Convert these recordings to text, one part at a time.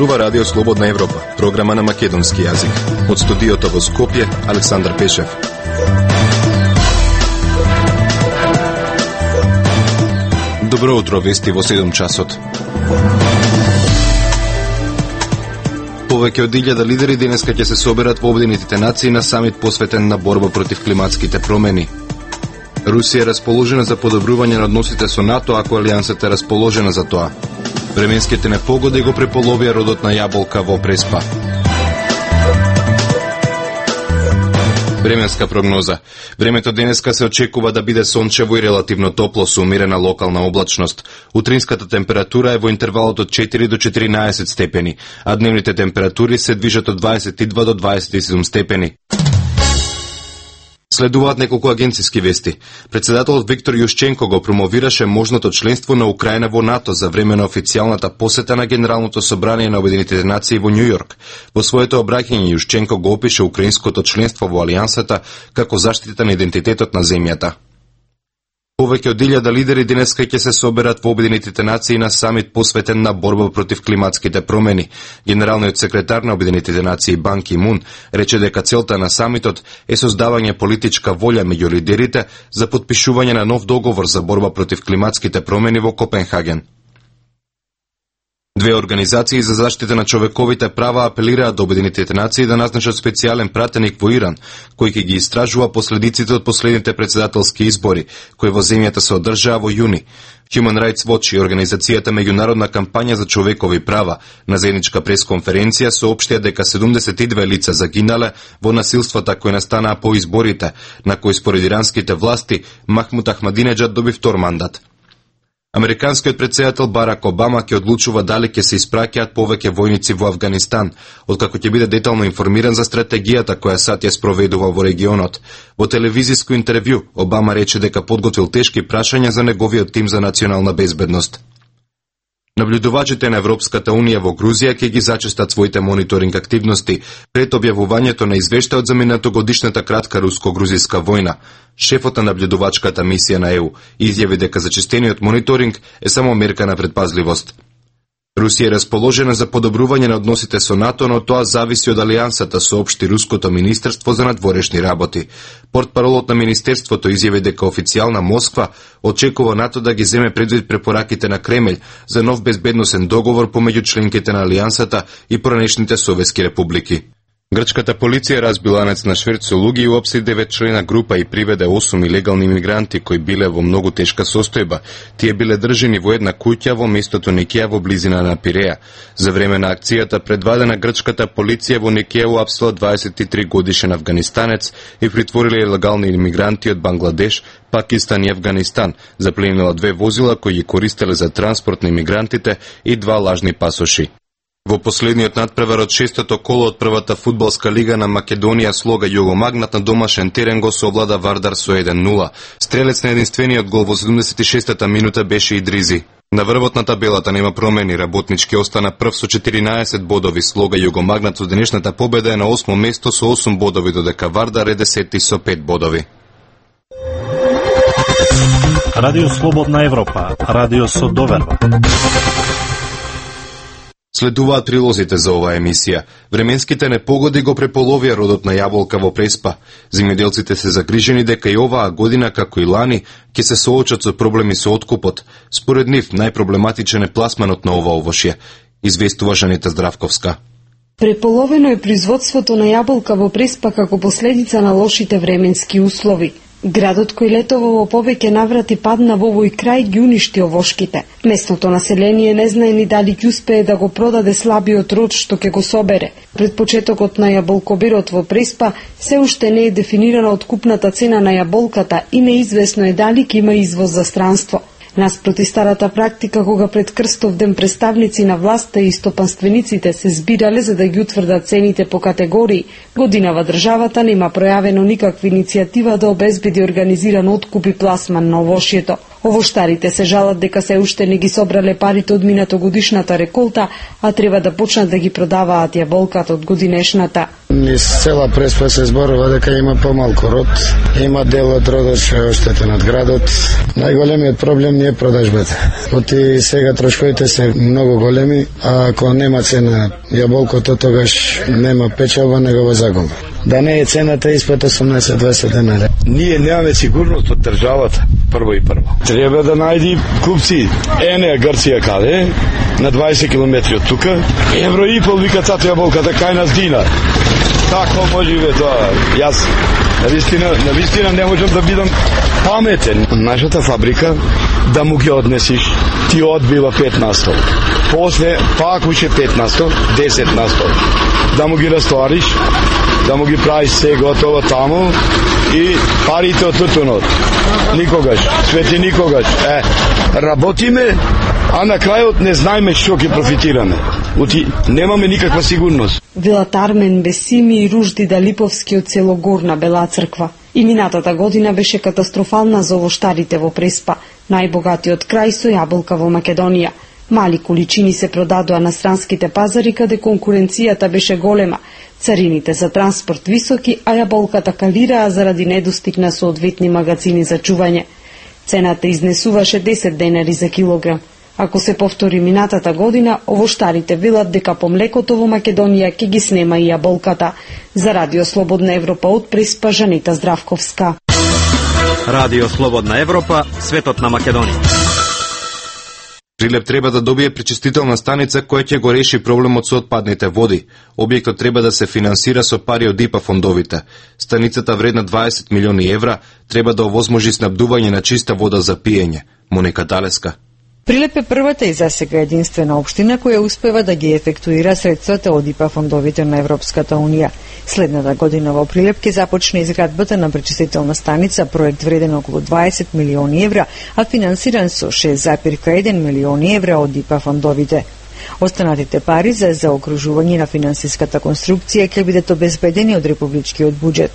зборува Радио Слободна Европа, програма на македонски јазик. Од студиото во Скопје, Александар Пешев. Добро утро, вести во 7 часот. Повеќе од 1000 лидери денеска ќе се соберат во Обединетите нации на самит посветен на борба против климатските промени. Русија е расположена за подобрување на односите со НАТО, ако алијансата е расположена за тоа. Временските непогоди го преполовија родот на јаболка во Преспа. Временска прогноза. Времето денеска се очекува да биде сончево и релативно топло со умерена локална облачност. Утринската температура е во интервалот од 4 до 14 степени, а дневните температури се движат од 22 до 27 степени. Следуваат неколку агенциски вести. Председателот Виктор Јушченко го промовираше можното членство на Украина во НАТО за време на официјалната посета на Генералното собрание на Обединетите нации во Њујорк. Во своето обраќање Јушченко го опише украинското членство во алијансата како заштита на идентитетот на земјата. Повеќе од 1000 лидери денеска ќе се соберат во Обединетите нации на самит посветен на борба против климатските промени. Генералниот секретар на Обединетите нации Бан Ки Мун рече дека целта на самитот е создавање политичка волја меѓу лидерите за потпишување на нов договор за борба против климатските промени во Копенхаген. Две организации за заштита на човековите права апелираат до Обединетите нации да назначат специјален пратеник во Иран, кој ќе ги истражува последиците од последните председателски избори, кои во земјата се одржаа во јуни. Human Rights Watch и организацијата Меѓународна кампања за човекови права на заедничка пресконференција соопштија дека 72 лица загинале во насилствата кои настанаа по изборите, на кои според иранските власти Махмуд Ахмадинеџад доби втор мандат. Американскиот претседател Барак Обама ќе одлучува дали ќе се испраќаат повеќе војници во Авганистан, откако ќе биде детално информиран за стратегијата која САД ја спроведува во регионот. Во телевизиско интервју Обама рече дека подготвил тешки прашања за неговиот тим за национална безбедност. Наблюдувачите на Европската Унија во Грузија ќе ги зачестат своите мониторинг активности пред објавувањето на извештајот за минатогодишната кратка руско-грузиска војна. Шефот на наблюдувачката мисија на ЕУ изјави дека зачестениот мониторинг е само мерка на предпазливост. Русија е расположена за подобрување на односите со НАТО, но тоа зависи од алијансата, соопшти Руското министерство за надворешни работи. Портпаролот на министерството изјави дека официјална Москва очекува НАТО да ги земе предвид препораките на Кремљ за нов безбедносен договор помеѓу членките на алијансата и поранешните советски републики. Грчката полиција разбила ланец на шверц со луѓе и уапси 9 члена група и приведе 8 илегални мигранти кои биле во многу тешка состојба. Тие биле држани во една куќа во местото Никеја во близина на Пиреја. За време на акцијата предвадена грчката полиција во Никеја уапсила 23 годишен афганистанец и притворила илегални имигранти од Бангладеш, Пакистан и Афганистан. Запленила 2 возила кои ги користеле за транспорт на имигрантите и 2 лажни пасоши. Во последниот надпревар од 6-тото коло од првата фудбалска лига на Македонија Слога Југомагнат на домашен терен го совлада Вардар со 1-0. Стрелец на единствениот гол во 76-та минута беше Идризи. На врвот на табелата нема промени, Работнички остана прв со 14 бодови, Слога Југомагнат со денешната победа е на 8 место со 8 бодови, додека Вардар е 10 со 5 бодови. Радио Слободна Европа, радио со доверба. Следуваат прилозите за оваа емисија. Временските непогоди го преполовија родот на јаболка во Преспа. Земјоделците се загрижени дека и оваа година, како и лани, ќе се соочат со проблеми со откупот. Според нив, најпроблематичен е пласманот на ова овошје, известува Жанета Здравковска. Преполовено е производството на јаболка во Преспа како последица на лошите временски услови. Градот кој летова во повеќе наврати падна во овој крај ги уништи овошките. Местното население не знае ни дали ќе успее да го продаде слабиот род што ќе го собере. Пред почетокот на јаболкоберот во Преспа се уште не е дефинирана откупната цена на јаболката и неизвестно е дали ќе има извоз за странство. Наспроти старата практика кога пред Крстов ден представници на власта и стопанствениците се збирале за да ги утврдат цените по категории, годинава државата нема пројавено никаква иницијатива да обезбеди организиран откуп и пласман на овошјето. Овоштарите се жалат дека се уште не ги собрале парите од минатогодишната реколта, а треба да почнат да ги продаваат јаболката од годинешната. Низ цела Преспа се зборува дека има помалку род, има дел од родот што е оштетен од градот. Најголемиот проблем не е продажбата. Оти сега трошковите се многу големи, а ако нема цена јаболкото, тогаш нема печалба, него во загуба. Да не е цената испод 18-20 денари. Ние немаме сигурност од државата, прво и прво. Треба да најди купци. Ене Грција каде? На 20 километри од тука. Евро и пол вика цато јаболката кај нас динар. Како може бе тоа? Јас навистина не можам да бидам паметен. Нашата фабрика да му ги однесиш, ти одбива 5 на 100. После пак уште 5 на 100, 10 на 100. Да му ги растовариш, да му ги правиш се готово таму и парите од тутунот. Никогаш, свети никогаш. Работиме, а на крајот не знаеме што ќе профитираме. Немаме никаква сигурност. Велат Армен Бесими и Ружди Далиповски од село Горна Бела Црква. И минатата година беше катастрофална за овоштарите во Преспа, најбогатиот крај со јаболка во Македонија. Мали количини се продадоа на странските пазари каде конкуренцијата беше голема, царините за транспорт високи, а јаболката калираа заради недостиг на соодветни магазини за чување. Цената изнесуваше 10 денари за килограм. Ако се повтори минатата година, овоштарите велат дека по млекото во Македонија ќе ги снема и јаболката. За Радио Слободна Европа од Преспа, Жанита Здравковска. Радио Слободна Европа, светот на Македонија. Прилеп треба да добие пречистителна станица која ќе го реши проблемот со отпадните води. Објектот треба да се финансира со пари од ИПА фондовите. Станицата вредна 20 милиони евра треба да овозможи снабдување на чиста вода за пиење. Моника Далеска. Прилеп е првата и засега единствена општина која успева да ги ефектуира средствата од ИПА фондовите на Европската унија. Следната година во Прилеп ќе започне изградбата на пречистителна станица, проект вреден околу 20 милиони евра, а финансиран со 6,1 милиони евра од ИПА фондовите. Останатите пари за заокружување на финансиската конструкција ќе бидат обезбедени од републичкиот буџет.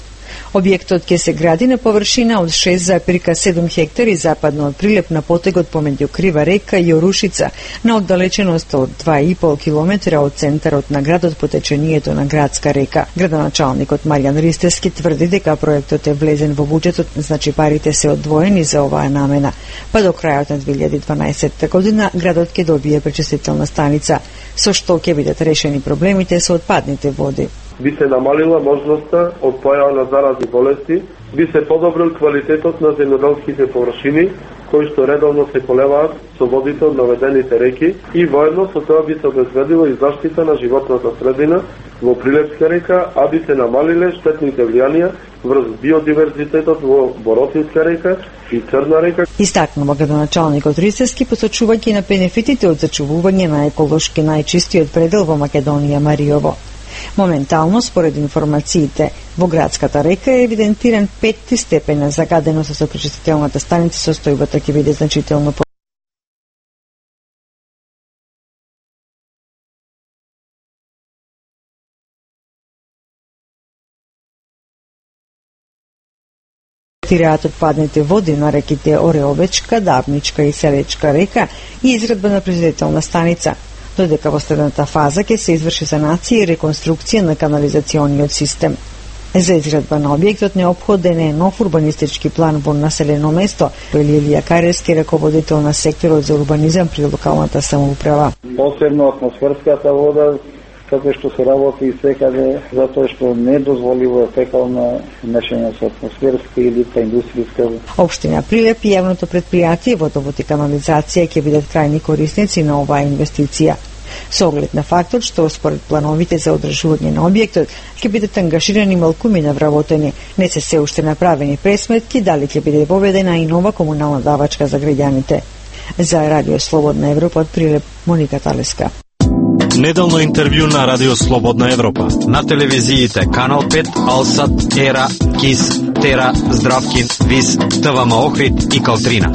Објектот ќе се гради на површина од 6,7 хектари западно од Прилеп на потегот помеѓу Крива река и Орушица, на оддалеченост од 2,5 километра од центарот на градот по течението на Градска река. Градоначалникот Маријан Ристевски тврди дека проектот е влезен во буџетот, значи парите се одвоени за оваа намена. Па до крајот на 2012 година градот ќе добие пречистителна станица, со што ќе бидат решени проблемите со отпадните води. Би се намалила можноста од појава на заразни болести, би се подобрил квалитетот на земјоделските површини, кои што редовно се полеваат со водите од наведените реки и воедно со тоа би се обезбедила и заштита на животната средина во Прилепска река, а би се намалиле штетните влијанија врз биодиверзитетот во Боротинска река и Црна река. Истакнува градоначалникот Ристевски, посочувајќи на бенефитите од зачувување на еколошки најчистиот предел во Македонија Мариово. Моментално, според информациите, во Градската река е евидентиран 5 степен на загаденост со пречистителната станица, состојбата ќе биде значително тираат отпадните води на реките Ореовечка, Давничка и Селечка река и изградба на пречистителна станица, додека во следната фаза ќе се изврши санација и реконструкција на канализациониот систем. За изградба на објектот неопходен е нов урбанистички план во населено место, вели Илија Каревски, раководител на секторот за урбанизам при локалната самоуправа. Посебно атмосферската вода, како што се работи и секаде, затоа што не дозволиво фекална мешање со атмосферска или индустријска. Општина Прилеп и јавното претпријатие Водовод и канализација ќе бидат крајни корисници на оваа инвестиција. Со оглед на фактот што според плановите за одржување на објектот ќе бидат ангажирани малкуми на вработени, не се уште направени пресметки дали ќе биде воведена и нова комунална давачка за граѓаните. За Радио Слободна Европа од Прилеп, Моника Талеска. Неделно интервју на Радио Слободна Европа. На телевизиите Канал 5, Алсат, Ера, Кис, Тера, Здравкин, Вис, ТВМ Охрид и Калтрина.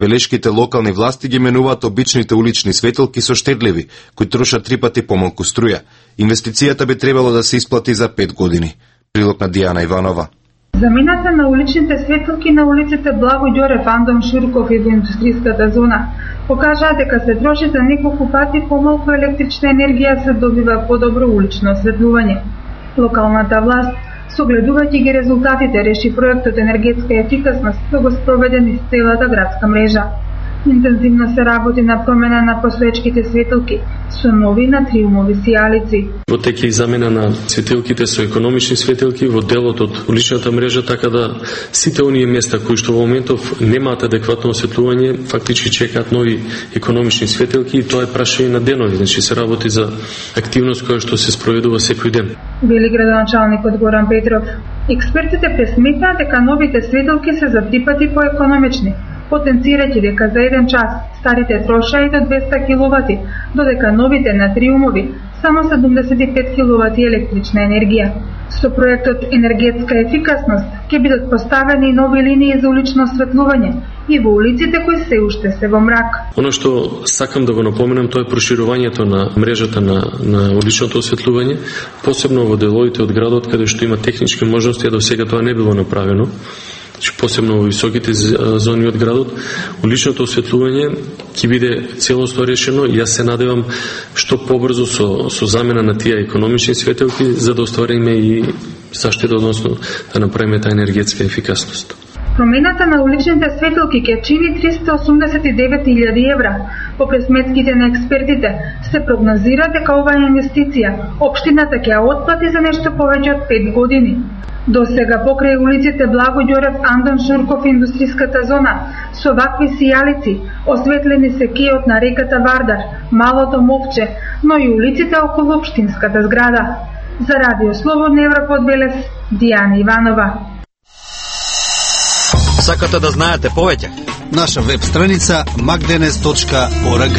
Велешките локални власти ги менуваат обичните улични светилки со штедливи, кои трошат 3 пати помалку струја. Инвестицијата би требало да се исплати за 5 години. Прилог на Дијана Иванова. Замената на уличните светилки на улиците Благо Ѓорев, Андон Шурков и во индустријската зона покажаа дека се троши за неколку пати помалку електрична енергија, се добива подобро улично осветлување. Локалната власт, согледувајќи ги резултатите, реши проектот енергетска ефикасност да го спроведе низ целата градска мрежа. Интензивно се работи на промена на посветчките светилки со нови натриумови сијалици. Во тек е замена на светилките со економични светилки во делот од уличната мрежа, така да сите оние места кои што во моментов немаат адекватно осветлување, фактички чекаат нови економични светилки, и тоа е прашање на денови, значи се работи за активност која што се спроведува секој ден. Вели градоначалникот Горан Петров. Експертите пресметнаат дека новите светилки се за 3 пати поекономични, потенцирајќи дека за 1 час старите трошеа и до 200 киловати, додека новите натриумови само 75 киловати електрична енергија. Со проектот енергетска ефикасност ќе бидат поставени нови линии за улично осветлување и во улиците кои се уште се во мрак. Оно што сакам да го напоменам, тоа е проширувањето на мрежата на уличното осветлување, посебно во деловите од градот каде што има технички можности, а до сега тоа не било направено. Посебно во високите зони од градот, уличното осветлување ќе биде целосно решено и јас се надевам што побрзо со замена на тие економични светилки за да оствариме и заштита, односно да направиме таа енергетска ефикасност. Промената на уличните светилки ќе чини 389.000 евра. По пресметките на експертите се прогнозира дека оваа инвестиција општината ќе ја отплати за нешто повеќе од 5 години. До сега покрај улиците Благо Ѓорев, Андон Шурков и индустријската зона со вакви сијалици осветлени се кејот на реката Вардар, Малото Мовче, но и улиците околу општинската зграда. За Радио Слободна Европа од Велес, Дијана Иванова. Сакате да знаете повеќе? Наша веб страница magdenes.org.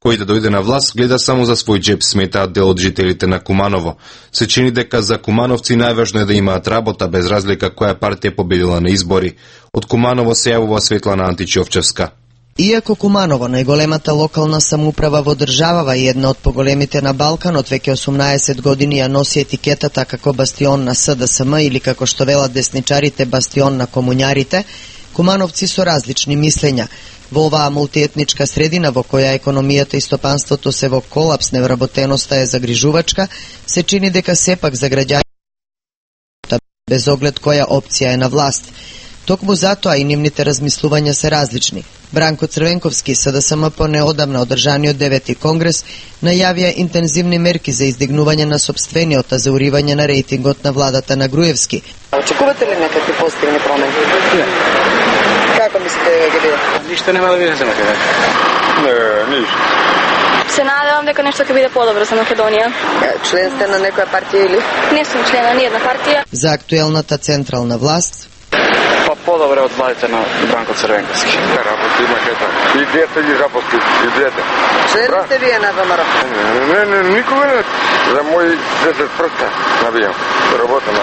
Кој да дојде на власт гледа само за свој џеб, сметаат дел од жителите на Куманово. Се чини дека за кумановци најважно е да имаат работа, без разлика која партија победила на избори. Од Куманово се јавува Светлана Античовчевска. Иако Куманово, најголемата локална самоуправа во државава и една од поголемите на Балканот, веќе 18 години ја носи етикетата како бастион на СДСМ или како што велат десничарите бастион на комуњарите, кумановци со различни мислења. Во оваа мултиетничка средина во која економијата и стопанството се во колапс, невработеноста е загрижувачка, се чини дека сепак за граѓаните без оглед која опција е на власт. Токму затоа и нивните размислувања се различни. Бранко Црвенковски, СДСМ по неодамна одржаниот 9-ти конгрес, најавија интензивни мерки за издигнување на сопствениот, а за уривање на рейтингот на владата на Груевски. Очекувате ли некакви позитивни промени? Не. Како мислите дека ќе биде? Ништо нема да биде за Македонија. Не, ништо. Се надевам дека нешто ќе биде подобро за Македонија. Член сте на некоја партија или? Не сум член на ниједна партија. За актуелната централна власт по-добре од владите на Бранко Црвенковски. Работи имаше така. И дете ги запусти, и дете. Член сте вие на ВМРО? Не, никога не. За мои 10 прста набијам. Работам,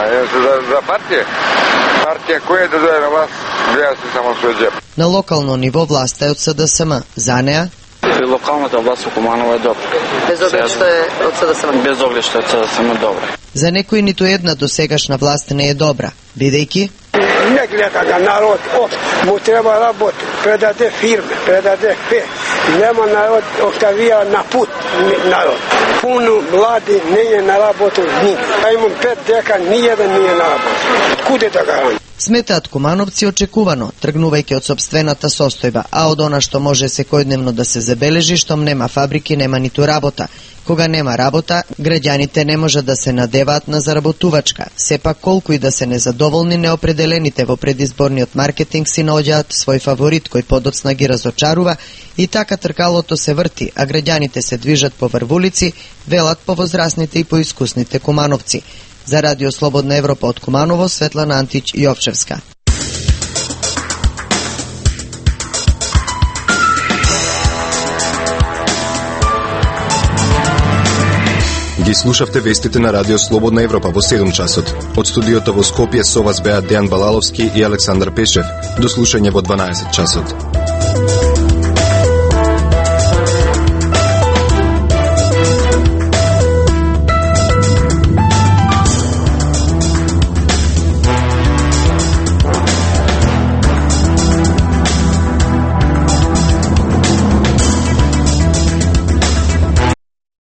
за партија. Партија која да дојде на власт, гледа се само свој џеб. На локално ниво власта е од СДСМ. За неа? Локалната власт во Куманово е добра. Без оглед што е од СДСМ? Без оглед што е од СДСМ добра. За некој ниту една досегашна власт не е добра, бидејќи не гледа на народ, му треба работа, предаде фирме, предаде фе. Нема народ, оставија на пут народ. Пуно млади не е на работа нигде. А имам 5 дека ниједен не е на работа. Куде да гарам? Сметаат кумановци очекувано, тргнувајќи од сопствената состојба, а од она што може секојдневно да се забележи, штом нема фабрики, нема ниту работа. Кога нема работа, граѓаните не можат да се надеваат на заработувачка. Сепак колку и да се незадоволни, неопределените во предизборниот маркетинг си наоѓаат свој фаворит кој подоцна ги разочарува и така тркалото се врти, а граѓаните се движат по врвулици, велат повозрасните и поискусните кумановци. За Радио Слободна Европа од Куманово, Светлана Антич Јовчевска. Ги слушавте вестите на Радио Слободна Европа во 7 часот. Од студиото во Скопје со вас беа Дејан Балаловски и Александар Пешев. До слушање во 12 часот.